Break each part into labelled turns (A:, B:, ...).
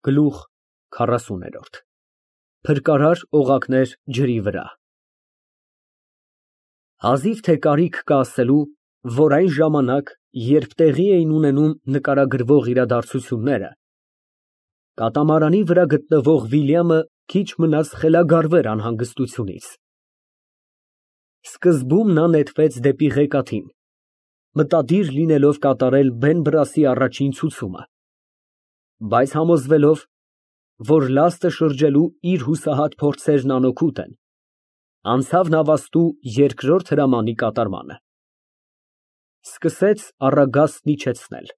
A: Գլուխ 40 Փրկարար օղակներ ջրի վրա Հազիվ թե կարիք կա ասելու, որ այն ժամանակ, երբ տեղի էին ունենում նկարագրվող իրադարձությունները, կատամարանի վրա գտնվող Վիլյամը քիչ մնաց խելագարվեր անհանգստությունից։ Սկզբում նա նետվեց դեպի ղեկաթին, մտադիր լինելով կատարել Բեն֊Բրասի առաջին ցուցումը, բայց համոզվելով, որ լաստը շրջելու իր հուսահատ փորձերն անօգուտ են, անցավ նավաստու երկրորդ հրամանի կատարմանը։ Սկսեց առագաստն իջեցնել։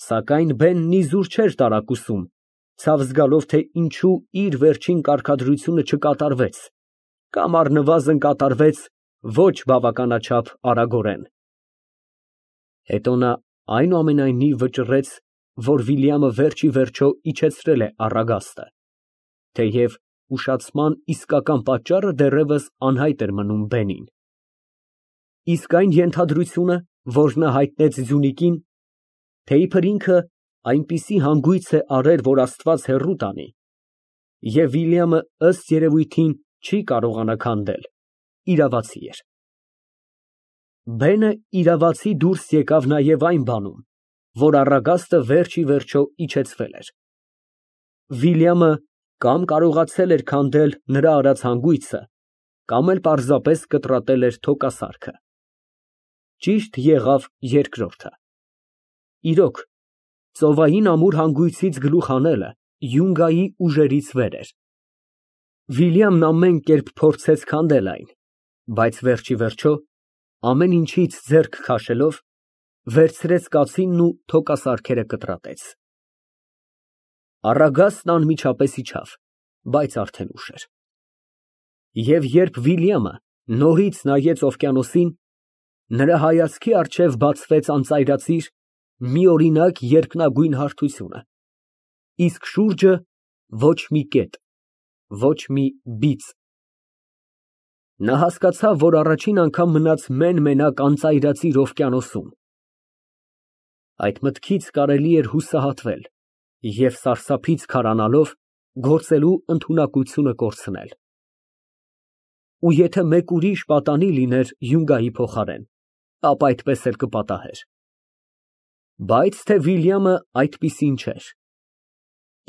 A: Սակայն Բենն իզուր չէր տարակուսում, ցավ զգալով, թե ինչու իր վերջին կարգադրությունը չկատարվեց, կամ առնվազն կատարվեց ոչ բավականաչափ արագորեն։ Հետո նա այնուամենայնիվ վճռեց, որ Վիլյամը վերջիվերջո իջեցրել է առագաստը, թեև ուշացման իսկական պատճառը դեռևս անհայտ էր մնում Բենին։ Իսկ այն ենթադրությունը, որ նա հայտնեց Ձյունիկին, թե իբր ինքը այնպիսի հանգույց է արել, որ Աստված հեռու տանի, և Վիլյամը ըստ երևույթին չի կարողանա քանդել, իրավացի էր։ Բենը իրավացի դուրս եկավ նաև այն բանում, որ առագաստը վերջիվերջո իջեցվել էր։ Վիլյամը կամ կարողացել էր քանդել նրա արած հանգույցը, կամ էլ պարզապես կտրատել էր թոկասարքը։ Ճիշտ եղավ երկրորդը։ Իրոք, ծովային ամուր հանգույցից գլուխ հանելը յունգայի ուժերից վեր էր։ Վիլյամն ամեն կերպ փորձեց քանդել այն, բայց վերջիվերջո, ամեն ինչից ձեռք քաշելով, վերցրեց կացինն ու թոկասարքերը կտրատեց։ Առագաստն անմիջապես իջավ, բայց արդեն ուշ էր։ Եվ երբ Վիլյամը նորից նայեց օվկիանոսին, նրա հայացքի առջև բացվեց անծայրածիր, միօրինակ երկնագույն հարթությունը, իսկ շուրջը ոչ մի կետ, ոչ մի բիծ։ Նա հասկացավ, որ առաջին անգամ մնաց մեն֊մենակ անծայրածիր օվկիանոսում։ Այդ մտքից կարելի էր հուսահատվել և սարսափից քարանալով գործելու ընդունակությունը կորցնել։ Ու եթե մեկ ուրիշ պատանի լիներ յունգայի փոխարեն, ապա այդպես էլ կպատահեր։ Բայց թե Վիլյամը այդպիսին չէր։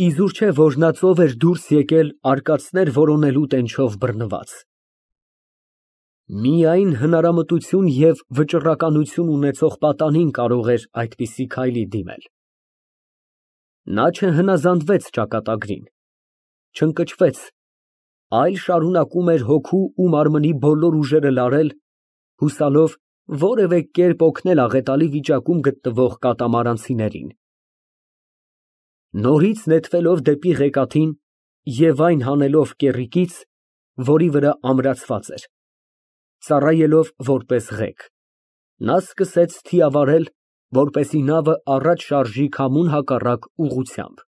A: Իզուր չէ, որ նա ծով էր դուրս եկել արկածներ որոնելու տենչով բռնված։ Միայն հնարամտություն և վճռականություն ունեցող պատանին կարող էր այդպիսի քայլի դիմել։ Նա չհնազանդվեց ճակատագրին, չընկճվեց, այլ շարունակում էր հոգու ու մարմնի բոլոր ուժերը լարել, հուսալով որևէ կերպ օգնել աղետալի վիճակում գտնվող կատամարանցիներին։ Նորից նետվելով դեպի ղեկաթին և այն հանելով կեռիկից, որի վրա ամրացված էր, ծառայելով որպես ղեկ, նա սկսեց թիավարել, որպեսզի նավը առաջ շարժի քամուն հակառակ ուղղությամբ։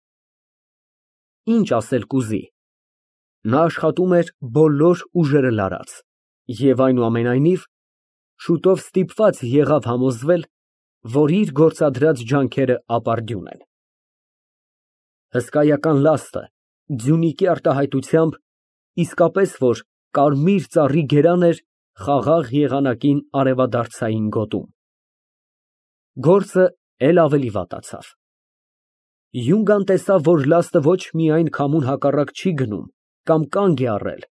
A: Ինչ ասել կուզի, նա աշխատում էր բոլոր ուժերը լարած և այնուամենայնիվ շուտով ստիպված եղավ համոզվել, որ իր գործադրած ջանքերը ապարդյուն են։ Հսկայական լաստը, Ձյունիկի արտահայտությամբ, իսկապես որ կարմիր ծառի գերան էր խաղաղ եղանակին արևադարձային գոտում։ Գործը էլ ավելի վատացավ։ Յունգան տեսավ, որ լաստը ոչ միայն քամուն հակառակ չի գնում կամ կանգ է առել,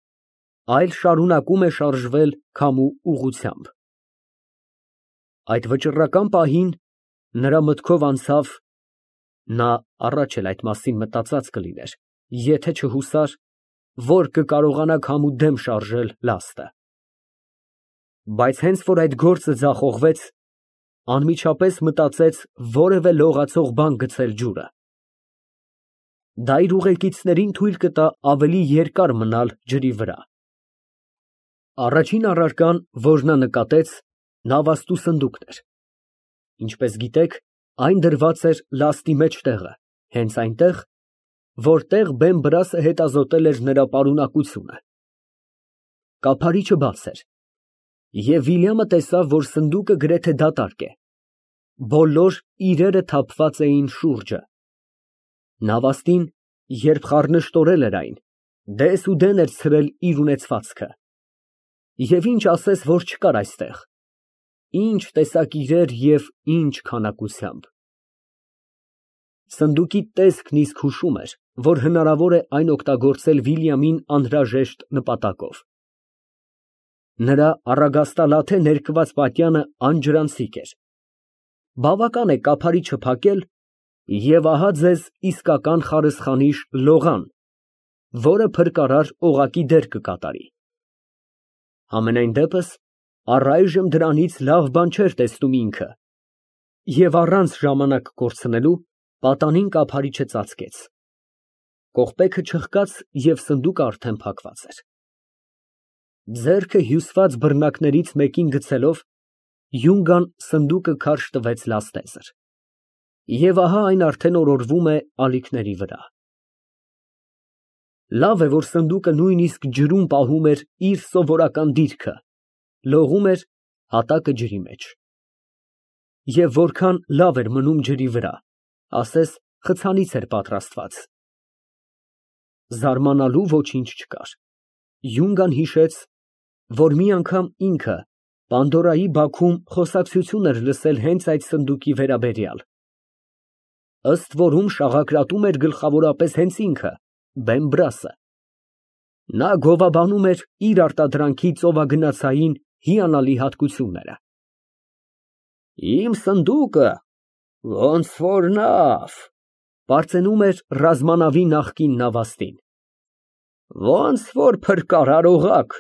A: այլ շարունակում է շարժվել քամու ուղղությամբ։ Այդ վճռական պահին նրա մտքով անցավ (նա առաջ էլ այդ մասին մտածած կլիներ, եթե չհուսար), որ կկարողանա քամու դեմ շարժել լաստը։ Բայց հենց որ այդ գործը ձախողվեց, անմիջապես մտածեց որևէ լողացող բան գցել ջուրը։ Դա իր ուղեկիցներին թույլ կտա ավելի երկար մնալ ջրի վրա։ Առաջին առարկան, որ նա նկատեց, նավաստու սնդուկն էր։ Ինչպես գիտեք, այն դրված էր լաստի մեջտեղը, հենց այնտեղ, որտեղ Բեն֊Բրասը հետազոտել էր նրա պարունակությունը։ Կափարիչը բաց էր, և Վիլյամը տեսավ, որ սնդուկը գրեթե դատարկ է։ Բոլոր իրերը թափված էին շուրջը։ Նավաստին, երբ խառնշտորել էր այն, դես ու դեն էր ցրել իր ունեցվածքը։ Եվ ինչ ասես, որ չկար այստեղ, ինչ տեսակ իրեր և ինչ քանակությամբ։ Սնդուկի տեսքն իսկ հուշում էր, որ հնարավոր է այն օգտագործել Վիլյամին անհրաժեշտ նպատակով։ Նրա առագաստալաթե ներկված պատյանը անջրանցիկ էր։ Բավական է կափարիչը փակել, և ահա ձեզ իսկական խարսխանիշ լողան, որը փրկարար օղակի դեր կկատարի։ Համենայն դեպս, առայժմ դրանից լավ բան չէր տեսնում ինքը, և առանց ժամանակ կորցնելու պատանին կափարիչը ծածկեց։ Կողպեքը չխկաց և սնդուկը արդեն փակված էր։ Ձեռքը հյուսված բռնակներից մեկին գցելով, Յունգան սնդուկը քարշ տվեց լաստեզր։ Եվ ահա այն արդեն օրորվում է ալիքների վրա։ Լավ է, որ սնդուկը նույնիսկ ջրում պահում էր իր սովորական դիրքը, լողում էր հատակը ջրի մեջ։ Եվ որքան լավ էր մնում ջրի վրա, ասես խցանից էր պատրաստված։ Զարմանալու ոչինչ չկար։ Յունգան հիշեց, որ մի անգամ ինքը Պանդորայի բաքում խոսակցություն էր լսել հենց այդ սնդուկի վերաբերյալ։ Ըստ որում շաղակրատում էր գլխավորապես հենց ինքը, Բեմբրասը։ Նա գովաբանում էր իր արտադրանքի ծովագնացային հիանալի հատկությունները։ Իմ սնդուկը ոնց որ նավ, պարծենում էր ռազմանավի նախկին նավաստին։ Ոնց որ փրկարար օղակ,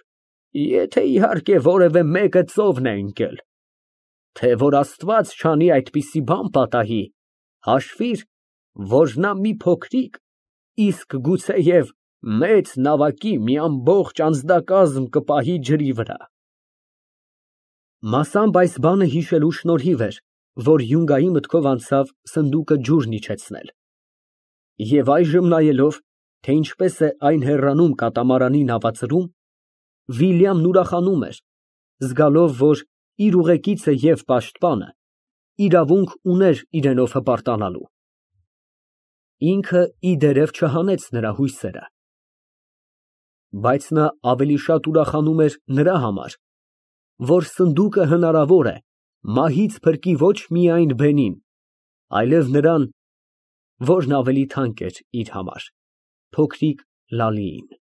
A: եթե իհարկե որևէ մեկը ծովն է ընկել։ Թե որ Աստված չանի այդպիսի բան պատահի, հաշվիր, որ նա մի փոքրիկ, իսկ գուցեև մեծ նավակի մի ամբողջ անձնակազմ կպահի ջրի վրա։ Մասամբ այս բանը հիշելու շնորհիվ էր, որ Յունգայի մտքով անցավ սնդուկը ջուրն իջեցնել։ Եվ այժմ նայելով, թե ինչպես է այն հեռանում կատամարանի նավածրում, Վիլյամն ուրախանում էր, զգալով, որ իր ուղեկիցը և պաշտպանը իրավունք ուներ իրենով հպարտանալու։ Ինքը ի դերև չհանեց նրա հույսերը։ Բայց նա ավելի շատ ուրախանում էր նրա համար, որ սնդուկը հնարավոր է մահից փրկի ոչ միայն բենին, այլև նրան, որն ավելի թանկ էր իր համար, փոքրիկ Լալիին։